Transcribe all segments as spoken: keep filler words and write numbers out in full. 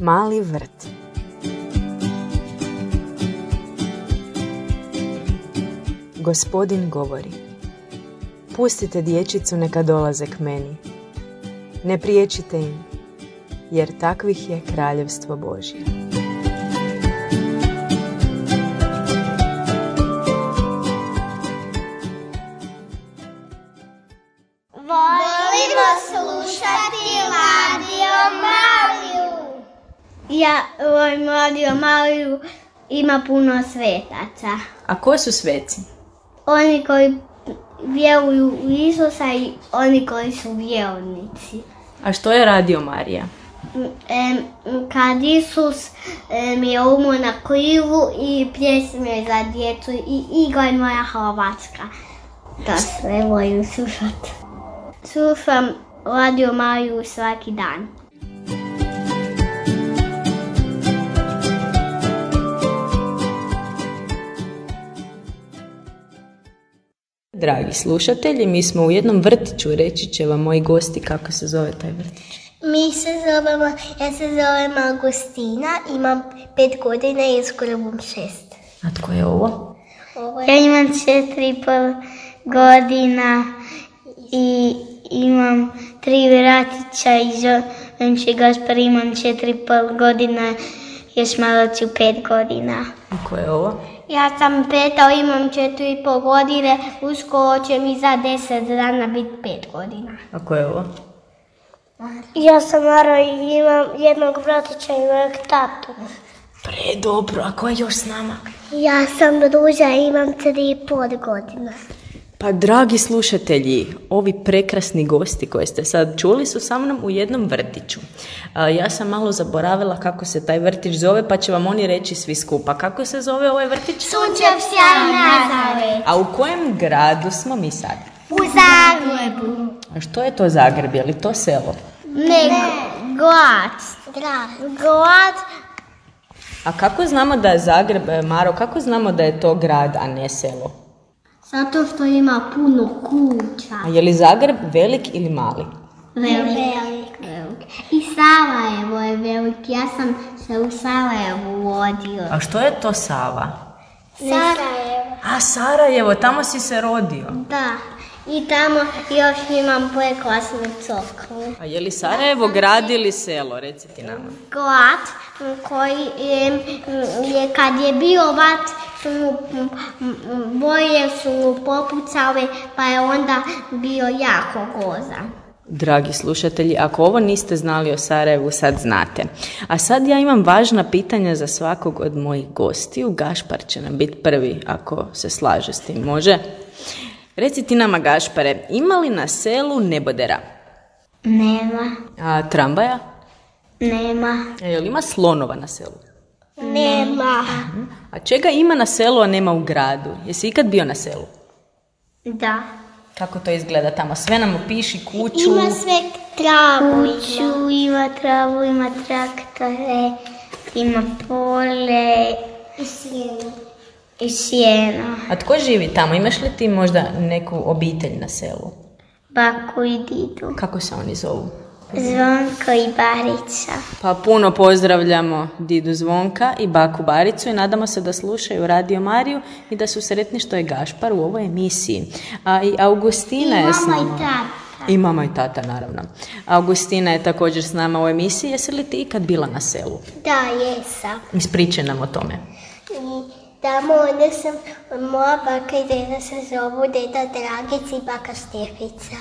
Mali vrt. Gospodin govori: pustite dječicu neka dolaze k meni. Ne priječite im, jer takvih je kraljevstvo Božje. Volimo slušati Radio Mariju. Ja volim Radio Mariju, ima puno svetaca. A ko su sveci? Oni koji vjeruju u Isusa i oni koji su vjernici. A što je Radio Marija? E, kad Isus e, mi je umro na križu i pjesme za djecu i igra moja Hrvatska. To sve volim slušati. Slušam Radio Mariju svaki dan. Dragi slušatelji, mi smo u jednom vrtiću, reći će vam moji gosti kako se zove taj vrtić. Mi se zovemo, ja se zovem Augustina, imam pet godina i skoro bom šest. A tko je ovo? Ovo Ja je imam četiri i pol godina i imam tri vratića i zovem se Gašpar, imam četiri i pol godina, još malo ću pet godina. A tko je ovo? Ja sam Peta, imam četiri i pol godine, uskoro će mi za deset dana biti pet godina. A tko je ovo? Ja sam Mara i imam jednog bratića i mojeg tatu. Predobro, a ko je još s nama? Ja sam Ruža i imam tri i pol godina. Pa dragi slušatelji, ovi prekrasni gosti koje ste sad čuli su sa mnom u jednom vrtiću. A, ja sam malo zaboravila kako se taj vrtić zove, pa će vam oni reći svi skupa. Kako se zove ovaj vrtić? Sunčevska Nazaret. A u kojem gradu smo mi sad? U Zagrebu. A što je to Zagreb? Je li to selo? Ne, grad. Grad. Grad. A kako znamo da je Zagreb, Maro, kako znamo da je to grad, a ne selo? Zato što ima puno kuća. A je li Zagreb velik ili mali? Velik. Velik. I Sarajevo je velik. Ja sam se u Sarajevu vodio. A što je to Sava? Sarajevo. A Sarajevo, tamo si se rodio. Da. I tamo još imam prekrasnu crkvu. A je li Sarajevo grad ili selo, reci ti nama? Grad koji je, je kad je bio vat, su mu, boje su mu popucale, pa je onda bio jako grozan. Dragi slušatelji, ako ovo niste znali o Sarajevu, sad znate. A sad ja imam važna pitanja za svakog od mojih gostiju. Gašpar će nam biti prvi, ako se slaže s tim, može? Reci ti nama, Gašpare, ima li na selu nebodera? Nema. A tramvaja? Nema. A je li ima slonova na selu? Nema. A čega ima na selu, a nema u gradu? Jesi ikad bio na selu? Da. Kako to izgleda tamo? Sve nam opiši kuću. Ima sve travu. Kuću, ima travu, ima traktore, ima pole I sjenu. i sjeno. A tko živi tamo? Imaš li ti možda neku obitelj na selu? Baku i didu. Kako se oni zovu? Zvonko i Barica. Pa puno pozdravljamo didu Zvonka i baku Baricu i nadamo se da slušaju Radio Mariju i da su sretni što je Gašpar u ovoj emisiji. A i Augustina je s nama. I tata. I mama i tata, naravno. Augustina je također s nama u emisiji. Jesi li ti ikad bila na selu? Da, jesam. Ispričaj nam o tome. I tamo onda sam, moja baka i deda se zovu deda Dragic i baka Štefica.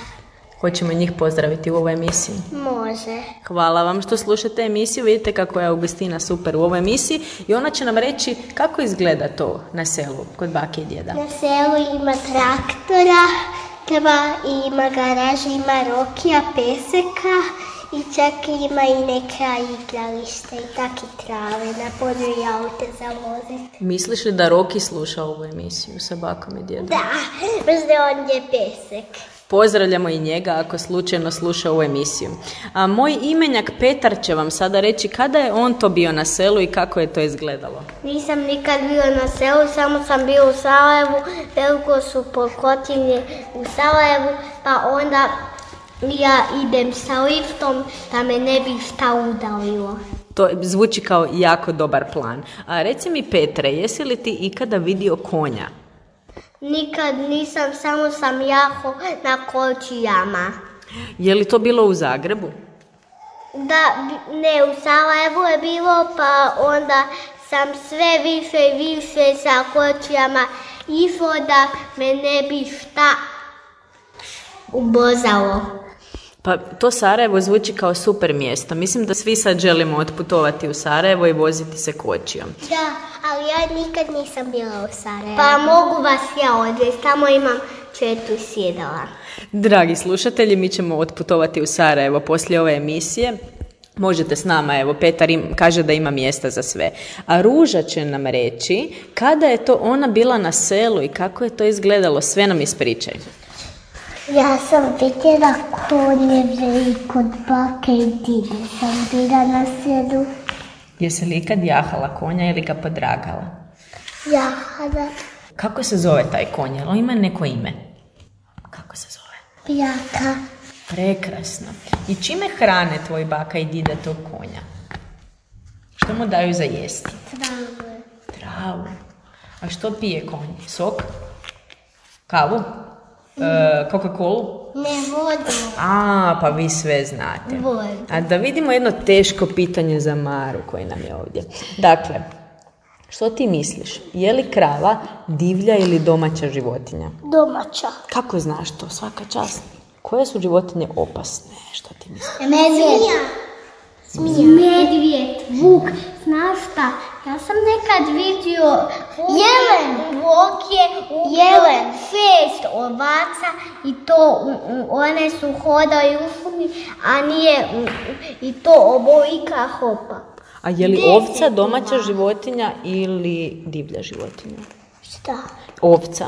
Hoćemo njih pozdraviti u ovoj emisiji. Može. Hvala vam što slušate emisiju. Vidite kako je Augustina super u ovoj emisiji i ona će nam reći kako izgleda to na selu kod bake i djeda. Na selu ima traktora, dva, ima garaža, ima rokija, peseka i čak ima i neka igrališta i taki trave, na polju i aute za voziti. Misliš li da Roki sluša ovu emisiju sa bakom i djedom? Da, možda on je pesek. Pozdravljamo i njega ako slučajno sluša ovu emisiju. A moj imenjak Petar će vam sada reći kada je on to bio na selu i kako je to izgledalo. Nisam nikad bio na selu, samo sam bio u Sarajevu, veliko su pokotine u Sarajevu, pa onda ja idem sa liftom da me ne bi šta udalilo. To zvuči kao jako dobar plan. A reci mi, Petre, jesi li ti ikada vidio konja? Nikad nisam, samo sam jaho na kočijama. Je li to bilo u Zagrebu? Da, ne, u Sarajevu je bilo, pa onda sam sve više i više sa kočijama išlo da me ne bi šta ubozalo. Pa to Sarajevo zvuči kao super mjesto. Mislim da svi sad želimo otputovati u Sarajevo i voziti se kočijom. Da, ali ja nikad nisam bila u Sarajevu. Pa mogu vas ja odvesti, tamo imam četiri sjedala. Dragi slušatelji, mi ćemo otputovati u Sarajevo poslije ove emisije. Možete s nama, evo, Petar im, kaže da ima mjesta za sve. A Ruža će nam reći kada je to ona bila na selu i kako je to izgledalo. Sve nam ispričaj. Ja sam vidjela konjeve i kod bake i dide sam bila na selu. Jesi li ikad jahala konja ili ga podragala? Jahala. Kako se zove taj konj? Jel on ima neko ime? Kako se zove? Pijaka. Prekrasno. I čime hrane tvoj baka i dida tog konja? Što mu daju za jesti? Travu. Travu. A što pije konj? Sok? Kavu? E, Coca-Colu? Ne, vodu. A, pa vi sve znate. Vodu. A da vidimo jedno teško pitanje za Maru koji nam je ovdje. Dakle, što ti misliš? Je li krava divlja ili domaća životinja? Domaća. Kako znaš to? Svaka čast. Koje su životinje opasne? Što ti misliš? Medvjed. Zmija. Medvjed, vuk, znaš šta? Ja sam nekad vidio jelen, vuk je jelen, šest ovaca i to one su hodaju u šumi, a nije i to obolika hopa. A je li ovca domaća životinja ili divlja životinja? Šta? Ovca.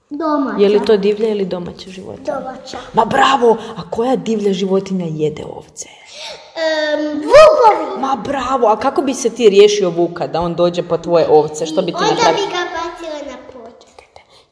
Domaća. Je li to divlja ili domaća životinja? Domaća. Ma bravo! A koja divlja životinja jede ovce? Um, vukovi. Ma bravo! A kako bi se ti riješio vuka da on dođe po tvoje ovce? Što bi ti Onda napravio? bi ga bacila na pod.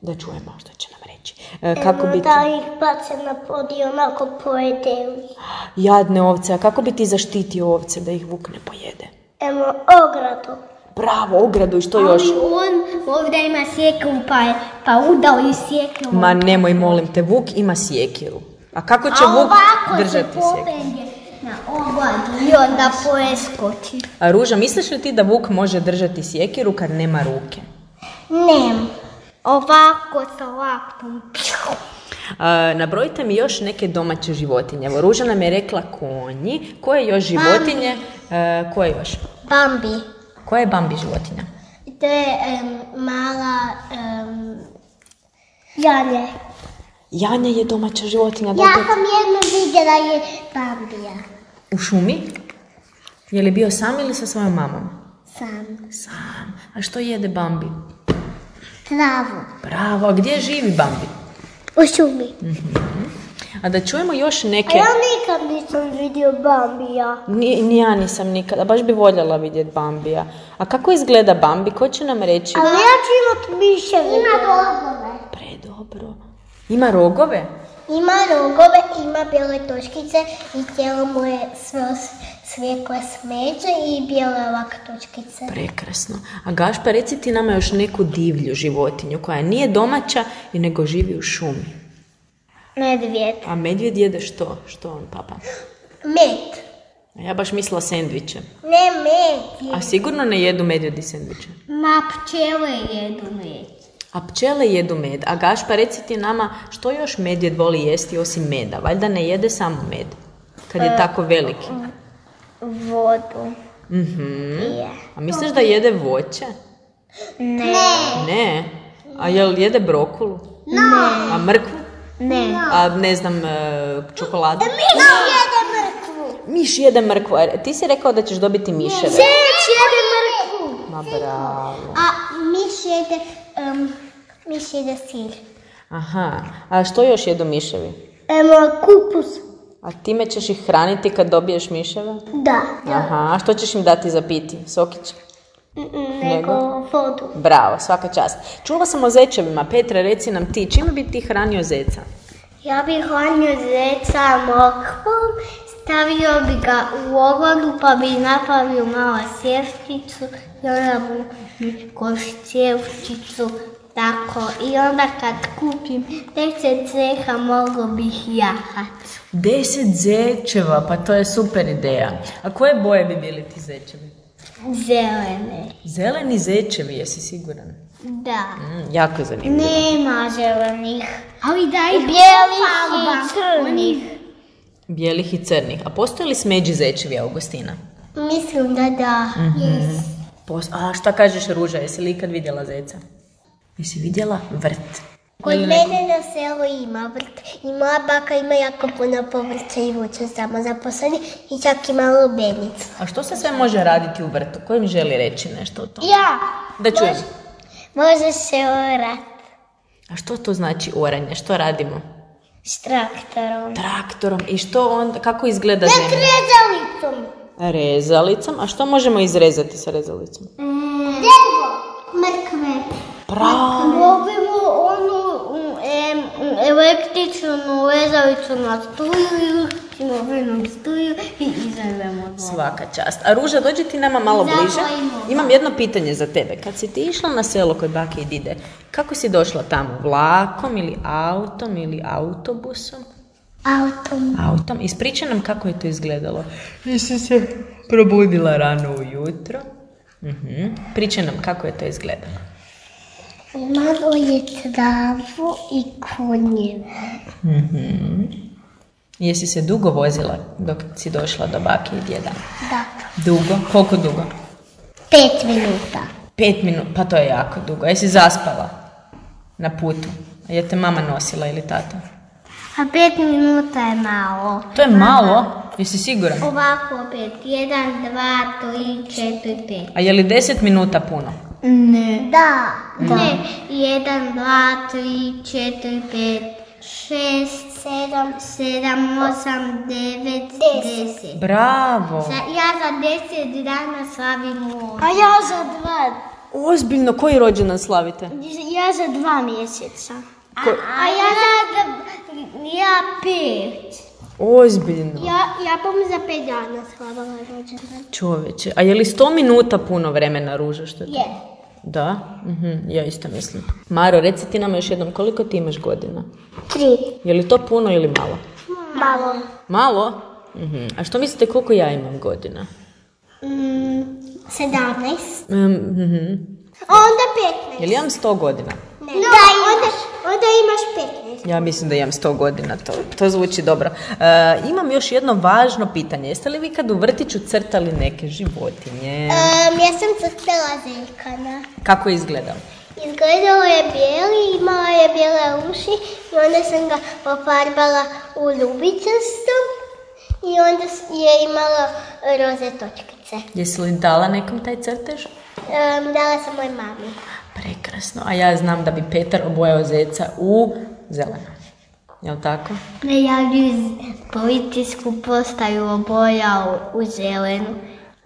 Da čujemo što će nam reći. E, kako bi ti... Da ih bace na pod i onako pojede ih. Jadne ovce, a kako bi ti zaštitio ovce da ih vuk ne pojede? Evo, ogradu. Bravo, ogradu i što još? Ali on ovdje ima sjekiru pa je pa udao i sjekiru. Ma nemoj, molim te, vuk ima sjekiru. A kako će A vuk ovako držati se sjekiru? popelje na ogladu i onda pojeskoči. A Ruža, misliš li ti da vuk može držati sjekiru kad nema ruke? Nem. Ovako sa laktom. A, nabrojite mi još neke domaće životinje. Evo, Ruža nam je rekla konji. Koje još životinje? E, koje još? Bambi. Koja je Bambi životinja? To je um, mala um, Janje. Janja je domaća životinja. Da Ja li- sam jednu vidjela je Bambija. U šumi? Je li bio sam ili sa svojom mamom? Sam. Sam. A što jede Bambi? Travu. Bravo. A gdje živi Bambi? U šumi. A da čujemo još A neke... ja nikad nisam vidio Bambija. Ni, ni ja nisam nikada. Baš bi voljela vidjeti Bambija. A kako izgleda Bambi? Ko će nam reći? Ali ja ću imat miševe. Ima rogove. Predobro. Ima rogove? Ima rogove, ima bijele točkice i tijelo mu je sve svijetlo smeđe i bijele ovak točkice. Prekrasno. A Gašpa, reci ti nama još neku divlju životinju koja nije domaća i nego živi u šumi. Medvjed. A medvjed jede što? Što on, papa? Med. A ja baš mislila sendviče. Ne med. A sigurno ne jedu medvjedi sendviče. Ma pčele jedu med. A pčele jedu med. A Gašpa, reci ti nama što još medvjed voli jesti osim meda? Valjda ne jede samo med, kad je tako veliki. Vodu. Mhm. Je. A misliš da jede voće? Ne. Ne. A jel jede brokulu? Ne. A mrkvu? Ne. A ne znam, e, čokoladu? Miš jede mrkvu. Miš jede mrkvu. A ti si rekao da ćeš dobiti miševe. Miš jede mrkvu. Ma bravo. A miš jede, um, miš jede sir. Aha. A što još jedu miševi? Evo kupus. A time ćeš ih hraniti kad dobiješ miševe? Da. Aha. A što ćeš im dati za piti? Sokić? Nego vodu. Bravo, svaka čast. Čula sam o zečevima. Petra, reci nam ti, čime bi ti hranio zeca? Ja bih hranio zeca mokvom, stavio bi ga u ovodu pa bi napravio malo sjevčicu i onda mu koš sjevčicu tako. I onda kad kupim deset zeha mogu bih jahat. Deset zečeva, pa to je super ideja. A koje boje bi bili ti zečevi? Zelene. Zeleni zečevi, jesi siguran? Da. Mm, jako zanimljivo. Nema zelenih. Ali da i bijelih i crnih. Bijelih i crnih. A postoje li smeđi zečevi, Augustina? Mislim da da. Yes. Pos- A šta kažeš, Ruža, jesi li ikad vidjela zeca? Jesi vidjela vrt? Kod mene na selu ima vrt i moja baka ima jako puno povrća i voća samo zaposleni i čak ima lubenicu. A što se sve može raditi u vrtu? Ko im želi reći nešto o tome? Ja! Da čujem. Može se orat A što to znači oranje? Što radimo? s traktorom. Traktorom. I što onda, kako izgleda zemlja? Rezalicom. Rezalicom. A što možemo izrezati sa rezalicom? Drvo. Mrkve. Pravo. Dobimo onu em, električnu rezalicu na struju i uštimo venom struju i izrezemo dvoje. Svaka čast. A Ruža, dođi ti nama malo bliže. Imam jedno pitanje za tebe. Kad si ti išla na selo kod bake i dide, kako si došla tamo? Vlakom ili autom ili autobusom? Autom. Autom. Ispričaj nam kako je to izgledalo. Jesi se probudila rano ujutro? Mhm. Pričaj nam kako je to izgledalo. Imalo je travu i konjeve. Mhm. Jesi se dugo vozila dok si došla do bake i djeda? Da. Dugo? Koliko dugo? Pet minuta. Pet minuta, pa to je jako dugo. Jesi zaspala na putu? A je te mama nosila ili tata? A pet minuta je malo. To je malo? Jesi siguran? Ovako opet. Jedan, dva, tri, četiri, pet. A je li deset minuta puno? Ne. Da. Ne. Jedan, dva, tri, četiri, pet, šest, sedam, sedam, osam, devet, deset. Bravo! Za, ja za deset dana slavim ovo. A ja za dva. Ozbiljno, koji rođendan slavite? Ja za dva mjeseca. A, a ja za, ja pet. Ozbiljno. Ja, ja bom za pet dana slavala rođendan. Čoveče, a je li sto minuta puno vremena, Ruža, što je to? Je. Da? Mhm, ja isto mislim. Maro, reci ti nam još jednom, koliko ti imaš godina? Tri. Je li to puno ili malo? Malo. Malo? Mhm. A što mislite koliko ja imam godina? Mm, sedamnaest. Mm, mhm. A onda petnaest. Je li imam sto godina? Ne. Da, onda, onda imaš petnaest. Ja mislim da imam sto godina, to, to zvuči dobro. E, imam još jedno važno pitanje. Jeste li vi kad u vrtiću crtali neke životinje? Um, ja sam crtala zeljkana. Kako je izgledao? Izgledalo je bijeli, imala je bijele uši i onda sam ga pofarbala u ljubičasto i onda je imala roze točkice. Jesi li dala nekom taj crtež? Um, dala sam moj mami. Prekrasno. A ja znam da bi Petar obojao zeca u zeleno. Jel' tako? Ne, ja bi policijsku postaju obojao u zelenu.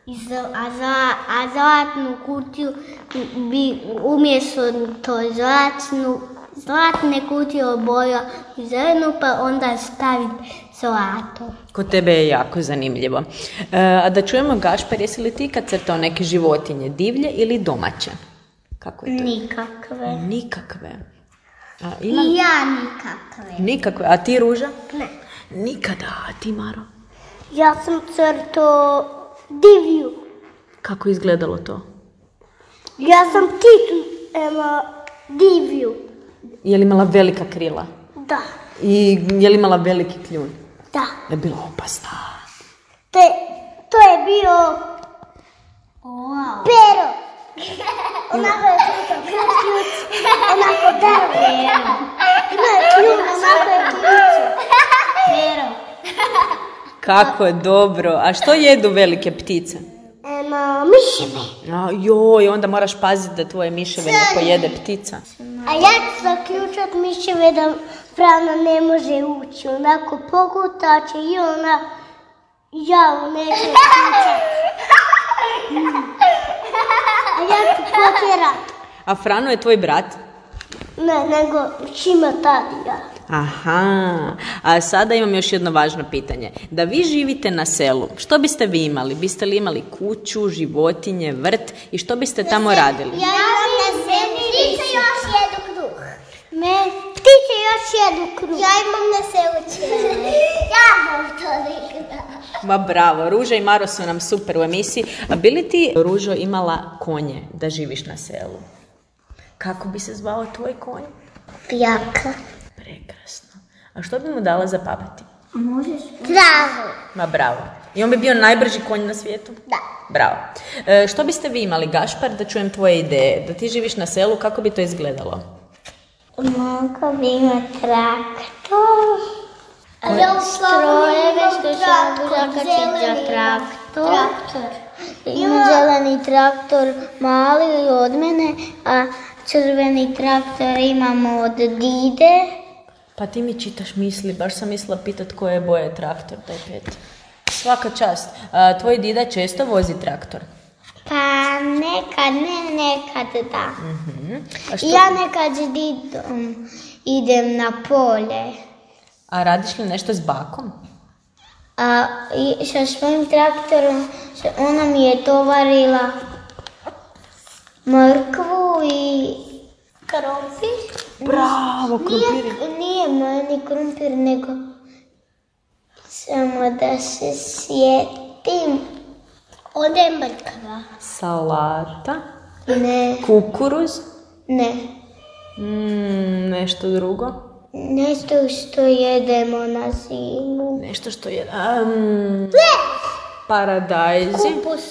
I za, a, za, a zlatnu kutiju bi umjesto to zlatnu, zlatne kutije obojao u zelenu pa onda staviti zlato. Kod tebe je jako zanimljivo. E, a da čujemo, Gašpar, jesi li ti kad crtao neke životinje, divlje ili domaće? Kako je to? Nikakve. Nikakve. A, imam... I ja nikakve. Nikakve. A ti, Ruža? Ne. Nikada. A ti, Maro? Ja sam crtao divlju. Kako je izgledalo to? Ja sam pticu ema, divlju. Je li imala velika krila? Da. I je li imala veliki kljun? Da. Je bila opasna. Te, to je bio Wow. pero. Onako je ključan, ključ, onako drvo. Ima je kljun, onako je ključ. Pero. Kako je dobro. A što jedu velike ptice? Ema, miševe. A, joj, onda moraš paziti da tvoje miševe ne pojede ptica. A ja ću zaključat miševe da Frana ne može ući. Onako pogutaće i ona javu neće ključat. A ja ću potjerat. A Frano je tvoj brat? Ne, nego Šima Tadija. Aha, a sada imam još jedno važno pitanje. Da vi živite na selu, što biste vi imali? Biste li imali kuću, životinje, vrt i što biste tamo radili? Ja imam na selu ptice još jedu kruh. Me, ptice još jedu kruh. Ja imam na selu čele. Ja imam toliko. Ma bravo, Ruža i Maro su nam super u emisiji. A bi li ti, Ružo, imala konje da živiš na selu? Kako bi se zvao tvoj konj? Pijaka. Prekrasno. A što bi mu dala za papati? Možeš? Travu. Ma bravo. I on bi bio najbrži konj na svijetu? Da. Bravo. E, što biste vi imali, Gašpar, da čujem tvoje ideje? Da ti živiš na selu, kako bi to izgledalo? Mogu bi imati traktor. Strojeve što se mogu zakačiti za traktor. Traktor. Ima zeleni traktor mali od mene, a crveni traktor imamo od dide. Pa ti mi čitaš misli, baš sam mislila pitat koje boje traktor, taj pet. Svaka čast. A, tvoj dida često vozi traktor? Pa nekad ne, nekad da. Uh-huh. A što... Ja nekad s didom idem na polje. A radiš li nešto s bakom? A i sa svojim traktorom ona mi je tovarila mrkvu i krompir. Bravo, krompir. Nije, nije meni krompir, nego samo da se sjetim. Onda je mrkva. Salata? Ne, Kukuruz? ne. Mm, nešto drugo? Nešto što jedemo na zimu. Nešto što je... Um, paradajzi? Kupus.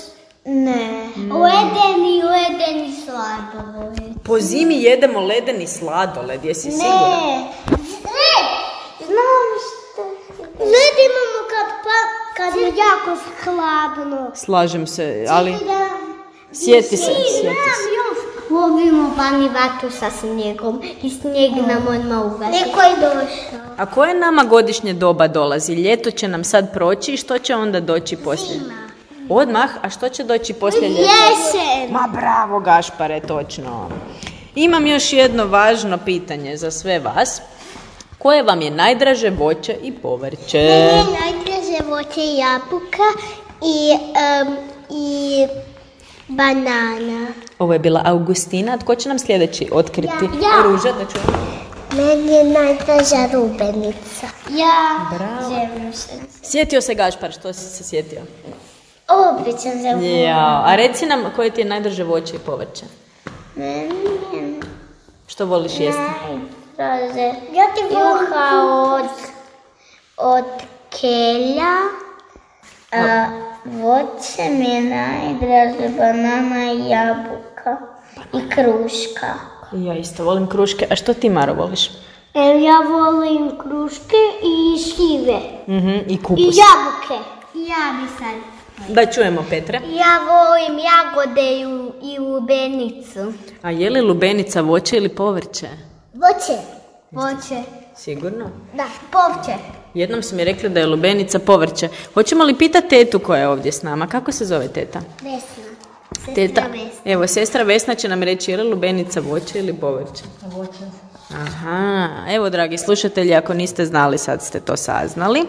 Ne. Ledeni, ledeni sladoled. Po zimi jedemo ledeni sladoled, jesi sigurna? Ne. Ne. Znam što. Led imamo kad, pa, kad je jako hladno. Slažem se, ali... Da. Sjeti se, sjeti se. Lovimo vani vatru sa snijegom i snijeg nam odmah ugasi. Neko je došao. A koje nama godišnje doba dolazi? Ljeto će nam sad proći i što će onda doći poslije? Zima. Odmah? A što će doći poslije ljeta? Jesen. Ma bravo, Gašpare, točno. Imam još jedno važno pitanje za sve vas. Koje vam je najdraže voće i povrće? Meni je najdraže voće i jabuka i, um, i banana. Ovo je bila Augustina. Tko će nam sljedeći otkriti? Ja. Ruža, da čujemo. Meni je najdraža lubenica. Ja. Bravo. Želim se. Sjetio se Gašpar, što si se sjetio? Običan za Ja. A reci nam koje ti je najdraže voće i povrće? Meni je Što voliš jesti? najdraže Ja ti volim juha od, od kelja. A voće mi je najdraže banana i jabuka i kruška. Ja isto volim kruške. A što ti, Maro, voliš? Ja volim kruške i šljive. Mhm, i kupus. I jabuke. Ja bi sad. Da čujemo, Petre. Ja volim jagode i, u- i lubenicu. A je li lubenica voće ili povrće? Voće. Voće. Sigurno. Da. Povrće. Jednom su mi rekli da je lubenica povrće. Hoćemo li pitati tetu koja je ovdje s nama? Kako se zove teta? Vesna. Teta. Evo, sestra Vesna će nam reći je li lubenica voće ili povrće? Voće. Aha, evo dragi slušatelji, ako niste znali, sad ste to saznali.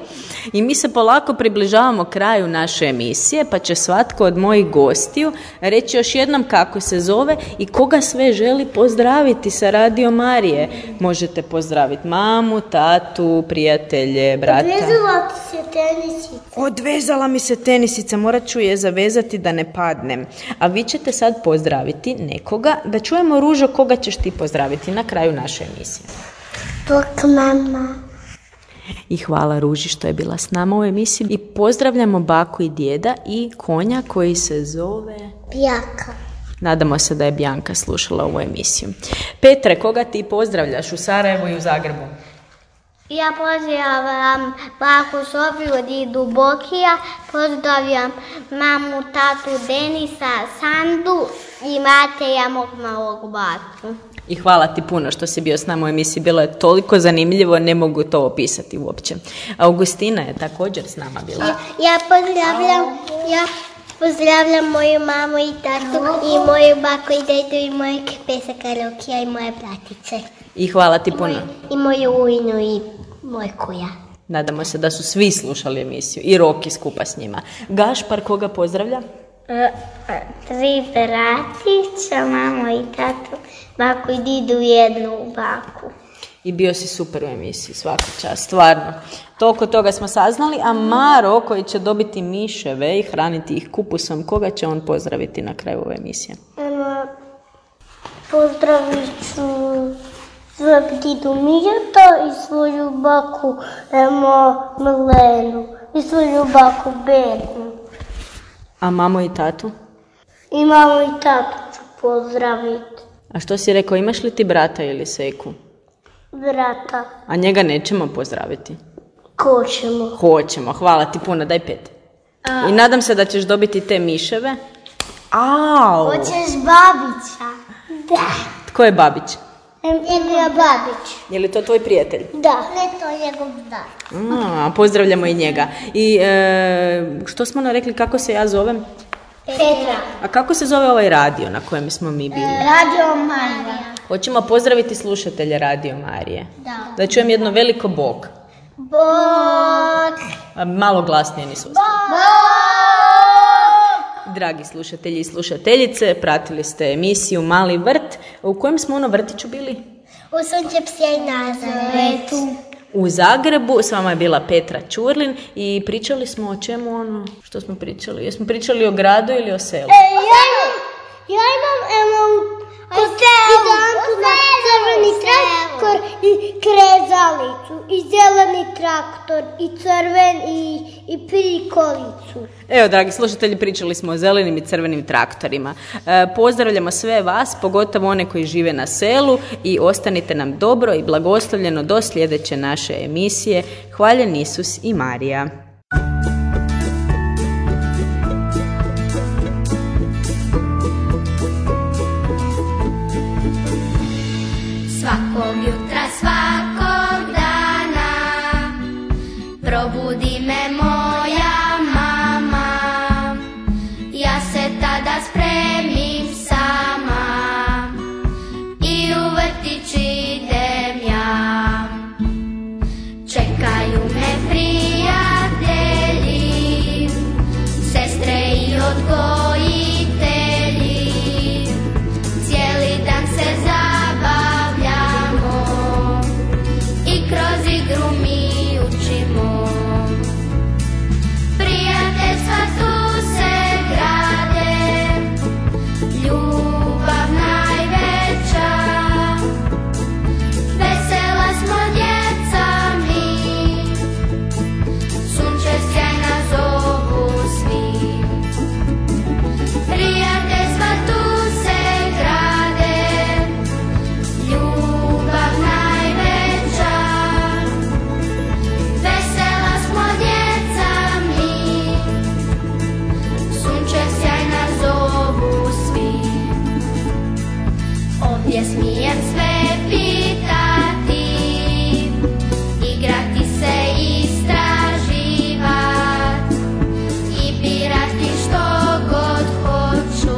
I mi se polako približavamo kraju naše emisije, pa će svatko od mojih gostiju reći još jednom kako se zove i koga sve želi pozdraviti sa Radio Marije. Možete pozdraviti mamu, tatu, prijatelje, brata. Odvezala ti se tenisica. Odvezala mi se tenisica, morat ću je zavezati da ne padnem. A vi ćete sad pozdraviti nekoga, da čujemo, Ružo, koga ćeš ti pozdraviti na kraju naše emisije. Bok mama. I hvala Ruži što je bila s nama u emisiji. I pozdravljamo baku i djeda i konja koji se zove... Pijaka. Nadamo se da je Bjanka slušala ovu emisiju. Petre, koga ti pozdravljaš u Sarajevu i u Zagrebu? Ja pozdravljam baku Sofiju, didu Bokija, pozdravljam mamu, tatu Denisa, Sandu i Mateja, mog malog batu. I hvala ti puno što si bio s nama u emisiji. Bilo je toliko zanimljivo, ne mogu to opisati uopće. Augustina je također s nama bila. Ja pozdravljam, ja pozdravljam moju mamu i tatu i moju baku i dedu i mojeg pesaka Rokija i moje bratice. I hvala ti puno. I moju ujnu i moj kuja. Nadamo se da su svi slušali emisiju i Roki skupa s njima. Gašpar koga pozdravlja? E, tri bratića, mamo i tatu, baku i didu i jednu baku. I bio si super u emisiji, svaka čast, stvarno. Toliko toga smo saznali, a Maro koji će dobiti miševe i hraniti ih kupusom, koga će on pozdraviti na kraju ove emisije? Eno, pozdravit ću svog didu Mijeta i svoju baku emo, Milenu i svoju baku Bernu. A mamo i tatu? I mamu i tatu ću pozdraviti. A što si rekao, imaš li ti brata ili seku? Brata. A njega nećemo pozdraviti? Hoćemo. Hoćemo, hvala ti puno, daj pet. A. I nadam se da ćeš dobiti te miševe. Au! Hoćeš Babića? Da. Tko je Babić? Emilija Babić. Je li to tvoj prijatelj? Da. Ne, to je njegov brat. A, pozdravljamo i njega. I e, što smo nam rekli, kako se ja zovem? Petra. A kako se zove ovaj radio na kojem smo mi bili? Radio Marija. Hoćemo pozdraviti slušatelje Radio Marije. Da. Da čujem jedno veliko bog. Bog. A malo glasnije nisu. Bog. Dragi slušatelji i slušateljice, pratili ste emisiju Mali vrt. U kojem smo ono vrtiću bili? U Sunčepsjej Nazaretu. U Zagrebu, s vama je bila Petra Ćurlin i pričali smo o čemu ono, što smo pričali? Jesmo pričali o gradu ili o selu? E, ja imam, ja imam emo, idanku na crveni traktor i krezalicu, i zeleni traktor, i crven, i, i prikolicu. Evo, dragi slušatelji, pričali smo o zelenim i crvenim traktorima. E, pozdravljamo sve vas, pogotovo one koji žive na selu i ostanite nam dobro i blagoslovljeno do sljedeće naše emisije. Hvaljen Isus i Marija. Svakog jutra, svakog dana probudi me moja mama. Ja se tada spremim sama i u vrtić idem ja. Čekaju me prijatelji, sestre i odgojitelji. Cijeli dan se zabavljamo i kroz igru mi učimo. Prijateljstva tu se grade, ljubav najveća. Vesela smo djeca mi, sunce sjajna zovu svi. Prijateljstva tu se grade, ljubav najveća. Vesela smo djeca mi, sunce sjajna zovu svi. Ovdje smijem sve pitati, igrati se, istraživat i birati što god hoću.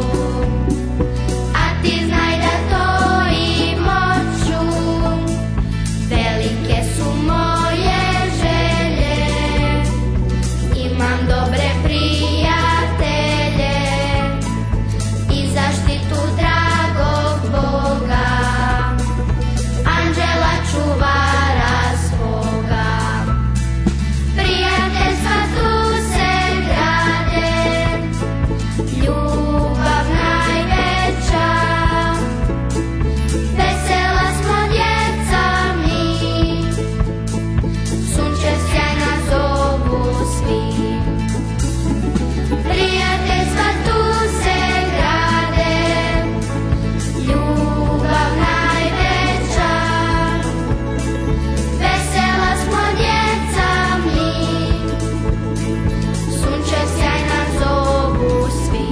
A ti znaj da to i moću. Velike su moje želje, imam dobre prijatelje i zaštitu dragog Boga, anđela čuvara svoga. Prijateljstva tu se grade, ljubav najveća. Vesela smo djeca mi, sunce sjajna zovu svi. Prijateljstva tu se grade, ljubav najveća. Vesela smo djeca mi, sunce sjajna zovu svi.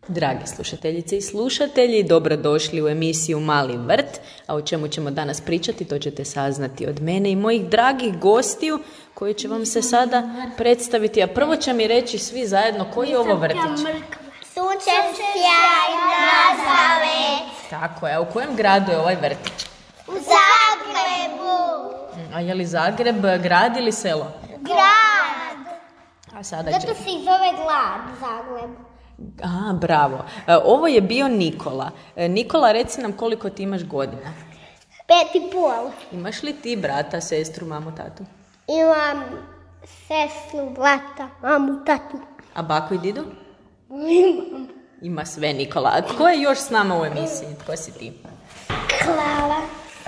Dragi slušateljice i slušatelji, dobrodošli u emisiju Mali vrt, a o čemu ćemo danas pričati, to ćete saznati od mene i mojih dragih gostiju koji će vam se sada predstaviti. A prvo će mi reći svi zajedno koji je ovo vrtić. Sunčepska sunčev sjaj na Zavet. Tako je, a u kojem gradu je ovaj vrtić? U Zagrebu. A je li Zagreb grad ili selo? Grad. A sada će... Zato se i zove grad Zagreb. A, bravo. E, ovo je bio Nikola. E, Nikola, reci nam koliko ti imaš godina. Pet i pol. Imaš li ti brata, sestru, mamu, tatu? Imam sestru, brata, mamu, tatu. A baku i didu? Imam. Ima sve, Nikola. A tko je još s nama u emisiji? Tko si ti? Klara.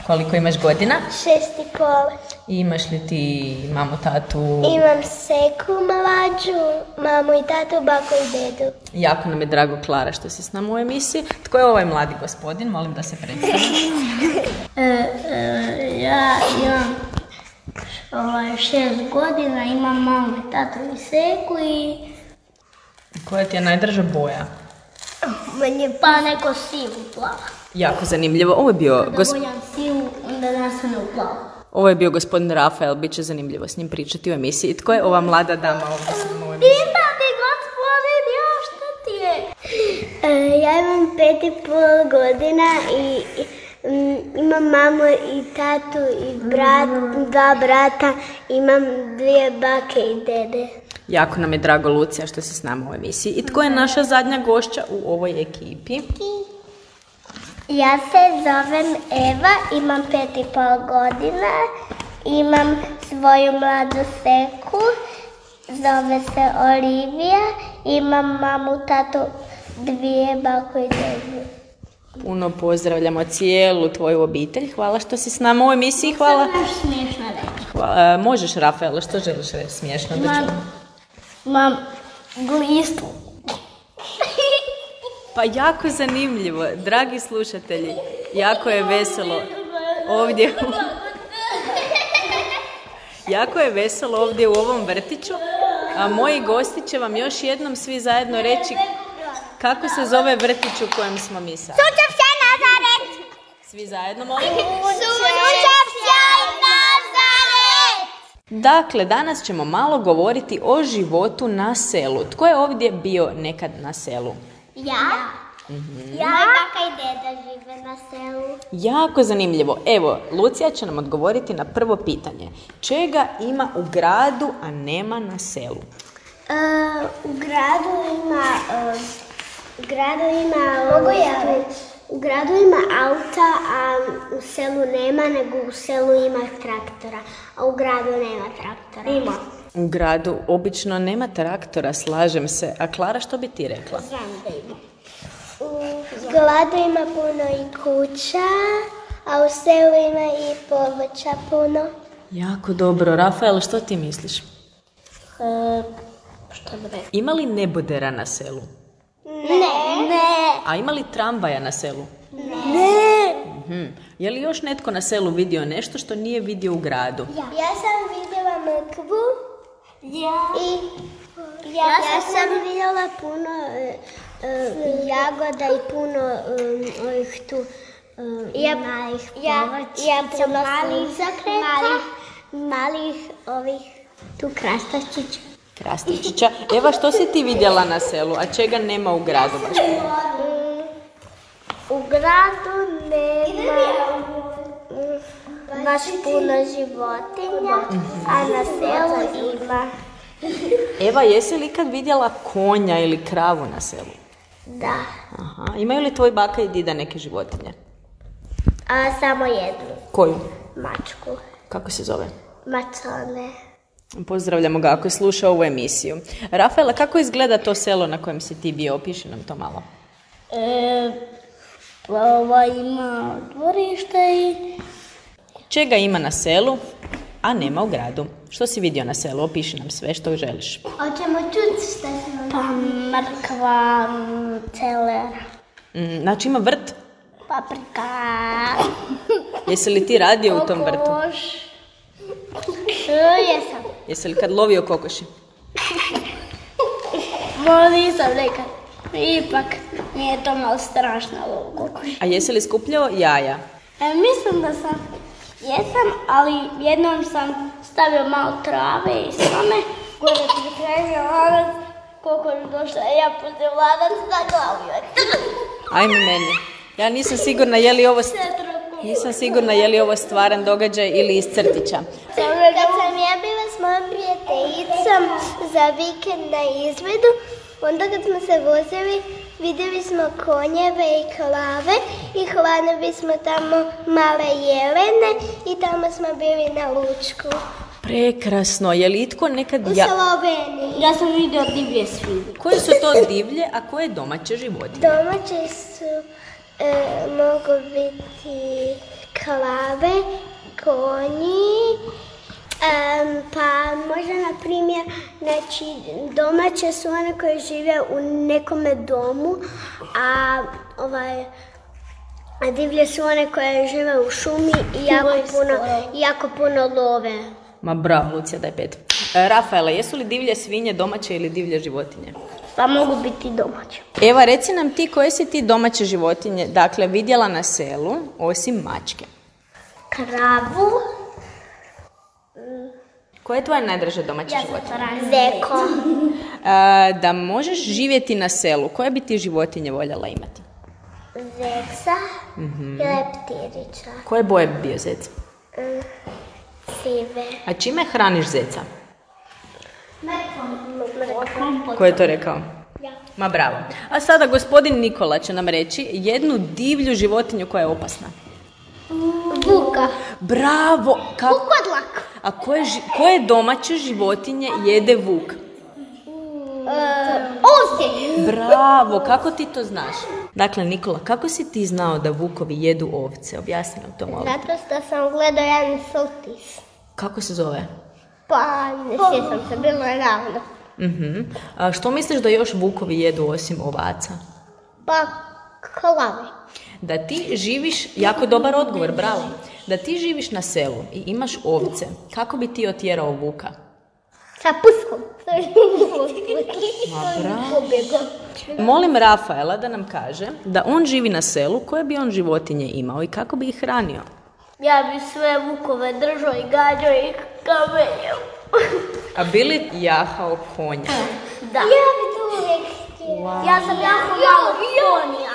Koliko imaš godina? Šest i pol. I imaš li ti mamu, tatu? Imam seku mlađu, mamu i tatu, baku i dedu. Jako nam je drago, Klara, što si s nama u emisiji. Tko je ovaj mladi gospodin? Molim da se predstavi. E, e, ja imam ovaj, šest godina, imam mamu i tatu i seku i... Koja ti je najdraža boja? Meni pa neko sivu plava. Jako zanimljivo. Ovo je bio... Kada Gos... bojam sivu, onda nastane u plavu. Ovo je bio gospodin Rafael, bit će zanimljivo s njim pričati u emisiji. Tko je ova mlada dama ovdje s nama u emisiji? Pita ti gospodin, ja šta ti je? E, ja imam pet i pol godina i mm, imam mamu i tatu i brat, dva brata, imam dvije bake i dede. Jako nam je drago, Lucija, što si s nama u emisiji. I tko je naša zadnja gošća u ovoj ekipi? Ja se zovem Eva, imam pet i pol godina, imam svoju mladu seku, zove se Olivija, imam mamu, tatu, dvije baku i dedu. Puno pozdravljamo cijelu tvoju obitelj. Hvala što si s nama u emisiji. Hvala. Što možeš smiješno reći? Hvala. E, možeš, Rafaela, što želiš reći smiješno? Da Imam, čujem? imam glistu. Pa jako zanimljivo, dragi slušatelji, jako je veselo ovdje, jako je veselo ovdje u ovom vrtiću, a moji gosti će vam još jednom svi zajedno reći kako se zove vrtić u kojem smo mi sad. Sunčev sjaj na Zavet! Svi zajedno, molim. Sunčev sjaj na Zavet! Dakle, danas ćemo malo govoriti o životu na selu. Tko je ovdje bio nekad na selu? Ja? Mm-hmm. Ja? Moja baka i deda žive na selu. Jako zanimljivo. Evo, Lucija će nam odgovoriti na prvo pitanje. Čega ima u gradu, a nema na selu? Uh, u gradu ima... Uh, u gradu ima... Mogu ja reći? U gradu ima auta, a u selu nema, nego u selu ima traktora. A u gradu nema traktora. Ima. U gradu obično nema traktora, slažem se. A Klara, što bi ti rekla? Znam da ima. U gradu ima puno i kuća, a u selu ima i povrća puno. Jako dobro. Rafael, što ti misliš? E, što bi rekla? Ima li nebodera na selu? Ne. Ne. A ima li tramvaja na selu? Ne. Mhm. Je li još netko na selu vidio nešto što nije vidio u gradu? Ja, ja sam vidjela mrkvu. Ja. I ja, ja sam vidjela puno uh, uh, jagoda i puno um, ovih tu um, ja, malih povrća. Ja puno malih malih, malih ovih tu krastačića. Krastičića. Eva, što si ti vidjela na selu, a čega nema u gradu baš? Um, u gradu nema um, baš puno životinja, a na selu ima. Eva, jesi li ikad vidjela konja ili kravu na selu? Da. Aha. Imaju li tvoj baka i dida neke životinje? A samo jednu. Koju? Mačku. Kako se zove? Macone. Pozdravljamo ga ako je slušao ovu emisiju. Rafaela, kako izgleda to selo na kojem si ti bio? Opiši nam to malo. E, pa ova ima dvorište i... Čega ima na selu, a nema u gradu? Što si vidio na selu? Opiši nam sve što želiš. Hoćemo čuti šta se Pa mrkva, celer, Mm, znači ima vrt? paprika, Jesi li ti radio u tom vrtu? kokoš. E, jesam. Jesi li kad lovio kokoši? Mo nisam nekad. Ipak nije to malo strašno ovo kokoš. A jesi li skupljao jaja? E, mislim da sam, jesam, ali jednom sam stavio malo trave i slame. Gore ti tražio lanac koliko je došla, ja putem lanac na glavu. Ajme meni. Ja nisam sigurna je li ovo, nisam sigurna je li ovo stvaran događaj ili iz crtića. Kad sam ja bila s mojom prijateljicom za vikend na izvedu, onda kad smo se vozili, vidjeli smo konjeve i klave i hladili smo tamo male jelene i tamo smo bili na lučku. Prekrasno. Je li itko nekad... U Ja... Sloveniji. Ja sam vidio divlje svinje. Koje su to divlje, a koje domaće životinje? Domaće su, e, mogu biti klave, konji, em, pa možda na primjer, znači domaće su one koje žive u nekome domu, a ovaj, a divlje su one koje žive u šumi i jako puno, jako puno love. Ma bravo, Lucija, daj pet. E, Rafaela, jesu li divlje svinje domaće ili divlje životinje? Pa mogu biti domaće. Eva, reci nam ti koje si ti domaće životinje, dakle, vidjela na selu, osim mačke. Kravu, Koja je tvoja najdraža domaća životinja? zeko, E, da možeš živjeti na selu, koje bi ti životinje voljela imati? zeksa i leptirića, Koje boje bi bio zec? sive. A čime hraniš zeca? Ko je to rekao? Ja. Ma bravo. A sada gospodin Nikola će nam reći jednu divlju životinju koja je opasna. Vuka. Bravo! Kako? Vukodlak. A koje, ži- koje domaće životinje jede vuk? Ovce. Bravo! Kako ti to znaš? Dakle, Nikola, kako si ti znao da vukovi jedu ovce? Objasni nam to malo. Zato što sam gledao jedan sultis. Kako se zove? Pa, ne sjećam se, bilo je ravno. Mhm. A što misliš da još vukovi jedu osim ovaca? Pa, klave. Da ti živiš, jako dobar odgovor, bravo. Da ti živiš na selu i imaš ovce, kako bi ti otjerao vuka? Sa puskom. Ma bravo. Molim Rafaela da nam kaže da on živi na selu, koje bi on životinje imao i kako bi ih hranio? Ja bi sve vukove držao i gađao ih kamenjem. A bi li jahao konja? Da. Ja bi to uvijek htjela. Ja sam jako malo konja.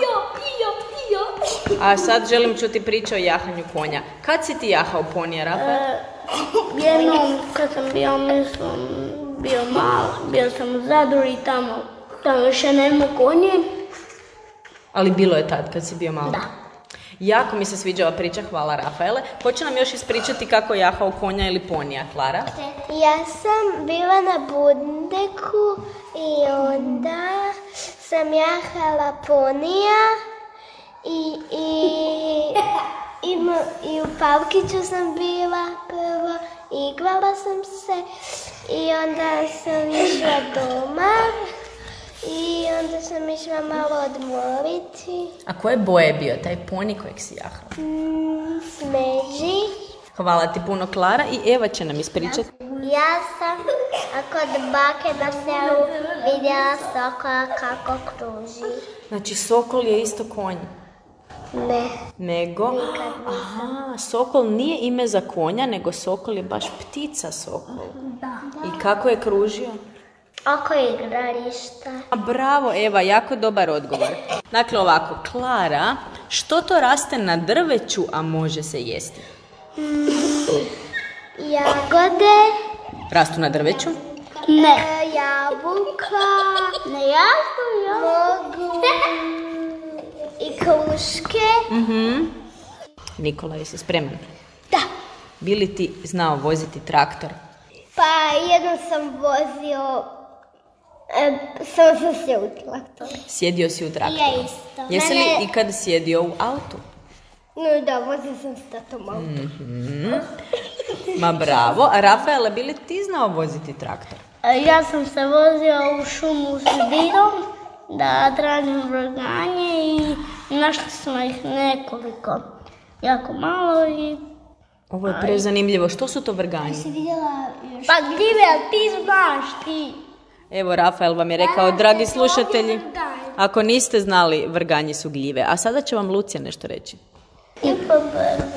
A sad želim čuti priču o jahanju konja. Kad si ti jahao ponija, Rafael? Jednom kad sam bio, mislim, bio malo, bio sam u Zadru i tamo, tamo više nema konje. Ali bilo je tad kad si bio malo. Da. Jako mi se sviđa ova priča, hvala Rafaele. Hoće nam još ispričati kako je jahao konja ili ponija, Klara? Ja sam bila na Bundeku i onda sam jahala ponija i, i, i, mo- i u Pavkiću sam bila prvo, igrala sam se i onda sam išla doma i onda sam išla malo odmoriti. A koje boje je bio taj poni kojeg si jahao? Mm, smeđi. Hvala ti puno, Klara, i Eva će nam ispričati. Ja sam kod bake na selu vidjela sokola kako kruži. Znači, sokol je isto konj. Ne. Nego, aha, sokol nije ime za konja, nego sokol je baš ptica sokol. Da. I kako je kružio? Oko igrališta. A bravo, Eva, jako dobar odgovor. Dakle, ovako, Klara, što to raste na drveću, a može se jesti? Jagode. Rastu na drveću? Ne. E, jabuka. Ne jabuka. Mogu. I kruške. Mhm. Nikola, jesi spreman? Da. Bi li ti znao voziti traktor? Pa jednom sam vozio, e, sam sam se u traktoru. Sjedio si u traktoru? Ja isto. Jesi li Mene- ikad sjedio u autu? No da, vozio sam s tatom auto. Mhm. Ma bravo. A Rafaela, bi li ti znao voziti traktor? Ja sam se vozio u šumu s dirom da tražim vrganje i našli smo ih nekoliko, jako malo i... Ovo je prezanimljivo. Što su to vrganji? Pa gljive, ali ti znaš ti. Evo, Rafael vam je rekao, dragi slušatelji, ako niste znali, vrganji su gljive. A sada će vam Lucija nešto reći. I po brvu.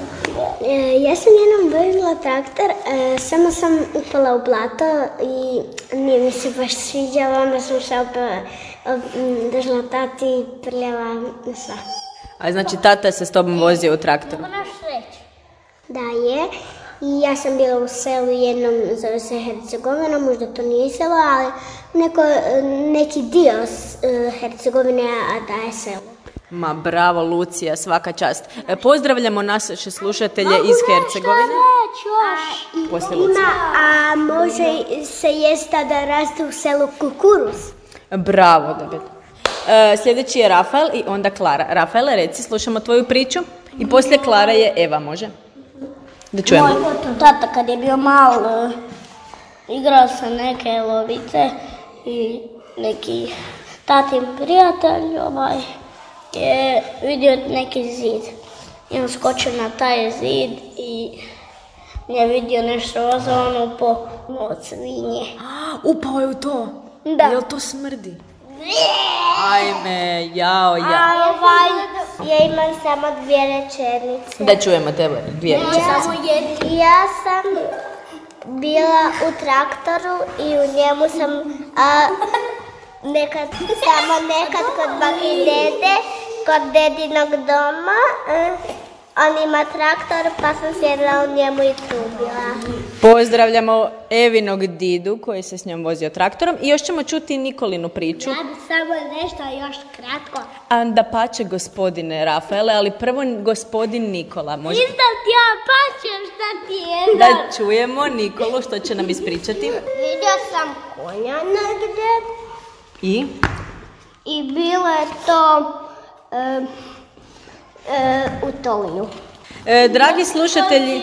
E, ja sam jednom vozila traktor, e, samo sam upala u blato i nije mi se baš sviđalo, onda sam se opet držala tati i prljava sva. A znači tata se s tobom vozio u traktoru? Moraš reći. Da je, i ja sam bila u selu jednom, zove se Hercegovina, možda to nije selo, ali neko, neki dio e, Hercegovine, a da je selo. Ma bravo Lucija, svaka čast. E, pozdravljamo naše slušatelje iz Hercegovine. Poslije Lucije. Ima, a može se jest da raste u selu kukuruz. Bravo, David. E, sljedeći je Rafael i onda Klara. Rafaele, reci, slušamo tvoju priču i poslije Klara je Eva, može? Da čujemo. Moj tata kad je bio mal, uh, igrao sam neke lovice i neki tatin prijatelj ovaj, je vidio neki zid. I on skočio na taj zid i je vidio nešto roza, ono upao od svinje. Upao je u to? Da. Jel to smrdi? Ajme, jao, ja. Ovaj, ja imam samo dvije rečenice. Da čujemo tebe, dvije rečenice. Samo jednu. Ja sam bila u traktoru i u njemu sam a, nekad, samo nekad kod baki i dede, kod dedinog doma. A, on ima traktor pa sam sjedila u njemu i tu bila. Pozdravljamo Evinog didu koji se s njom vozio traktorom i još ćemo čuti Nikolinu priču. Ja bi samo nešto još kratko. A da pače gospodine Rafaele, ali prvo gospodin Nikola. Može... Isto ti ja pačem šta ti je. Da čujemo Nikolu što će nam ispričati. Vidio sam konja negdje I? i bilo je to e, e, u Tolinu. E, dragi slušatelji,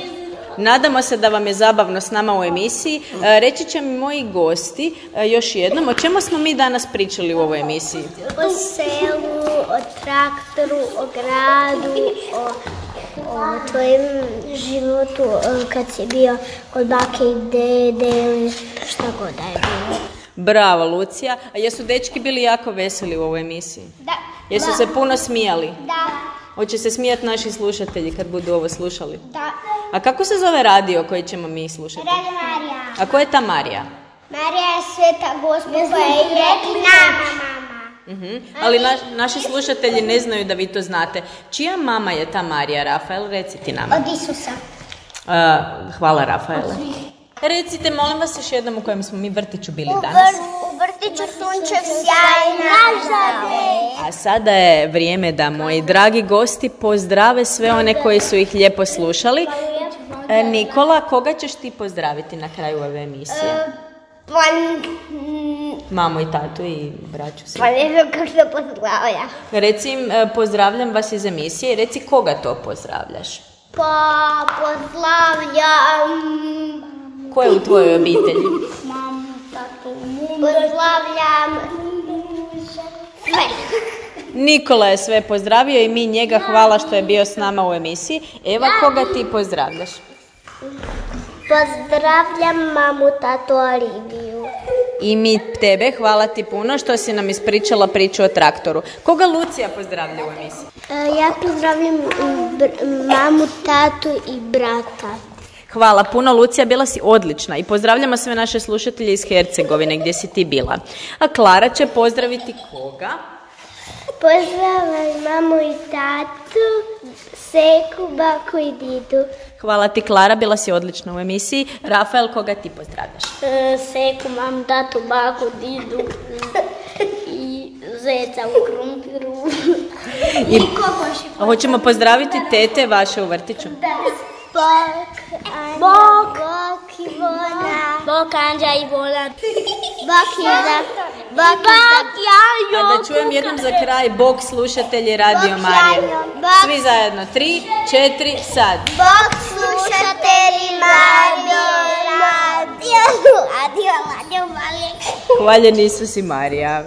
nadamo se da vam je zabavno s nama u emisiji. E, reći će mi moji gosti e, još jednom, o čemu smo mi danas pričali u ovoj emisiji? O selu, o traktoru, o gradu, o, o tvojim životu e, kad si bio kod bake i dede ili šta god da je bilo. Bravo, Lucija. A jesu dečki bili jako veseli u ovoj emisiji? Da. Jesu se puno smijali? Da. Hoće se smijati naši slušatelji kad budu ovo slušali? Da. A kako se zove radio koji ćemo mi slušati? Radio Marija. A ko je ta Marija? Marija je sveta Gospa koja je i nama mama. Uh-huh. Ali na, naši slušatelji ne znaju da vi to znate. Čija mama je ta Marija, Rafael? Reci ti nama. Od Isusa. Uh, hvala, Rafaele. Recite, molim vas još jednom u kojem smo mi vrtiću bili U, danas. vr, u vrtiću Sunčev sjaj nažade. A sada je vrijeme da moji dragi gosti pozdrave sve one koji su ih lijepo slušali. E, Nikola, koga ćeš ti pozdraviti na kraju ove emisije? Pa, Mamu i tatu i braću. pa ne znam kako se pozdravlja. Reci im, e, pozdravljam vas iz emisije i reci koga to pozdravljaš. Pa pozdravljam... Ko je u tvojoj obitelji? Mamu, tatu, Pozdravljam... Sve. Nikola je sve pozdravio i mi njega hvala što je bio s nama u emisiji. Eva, koga ti pozdravljaš? Pozdravljam mamu, tatu, Oliviju. I mi tebe, hvala ti puno što si nam ispričala priču o traktoru. Koga Lucija pozdravlja u emisiji? E, ja pozdravljam br- mamu, tatu i brata. Hvala puno, Lucija, bila si odlična i pozdravljamo sve naše slušatelje iz Hercegovine gdje si ti bila. A Klara će pozdraviti koga? Pozdravljam mamu i tatu, seku, baku i didu. Hvala ti, Klara, bila si odlična u emisiji. Rafael, koga ti pozdravljaš? E, seku, mamu, tatu, baku, didu i zeca u krumpiru. I hoćemo pozdraviti tete vaše u vrtiću. Bok, Anja, Bok. Bok, Ivona. Bok, Anđa i Bona. Bok i za... Bok i za... A da čujem jednom za kraj, Bog slušatelji Radio Marije. Svi zajedno, tri, četiri, sad. Bok slušatelji Radio Radio Radio Radio Marije. Hvaljen Isus i Marija.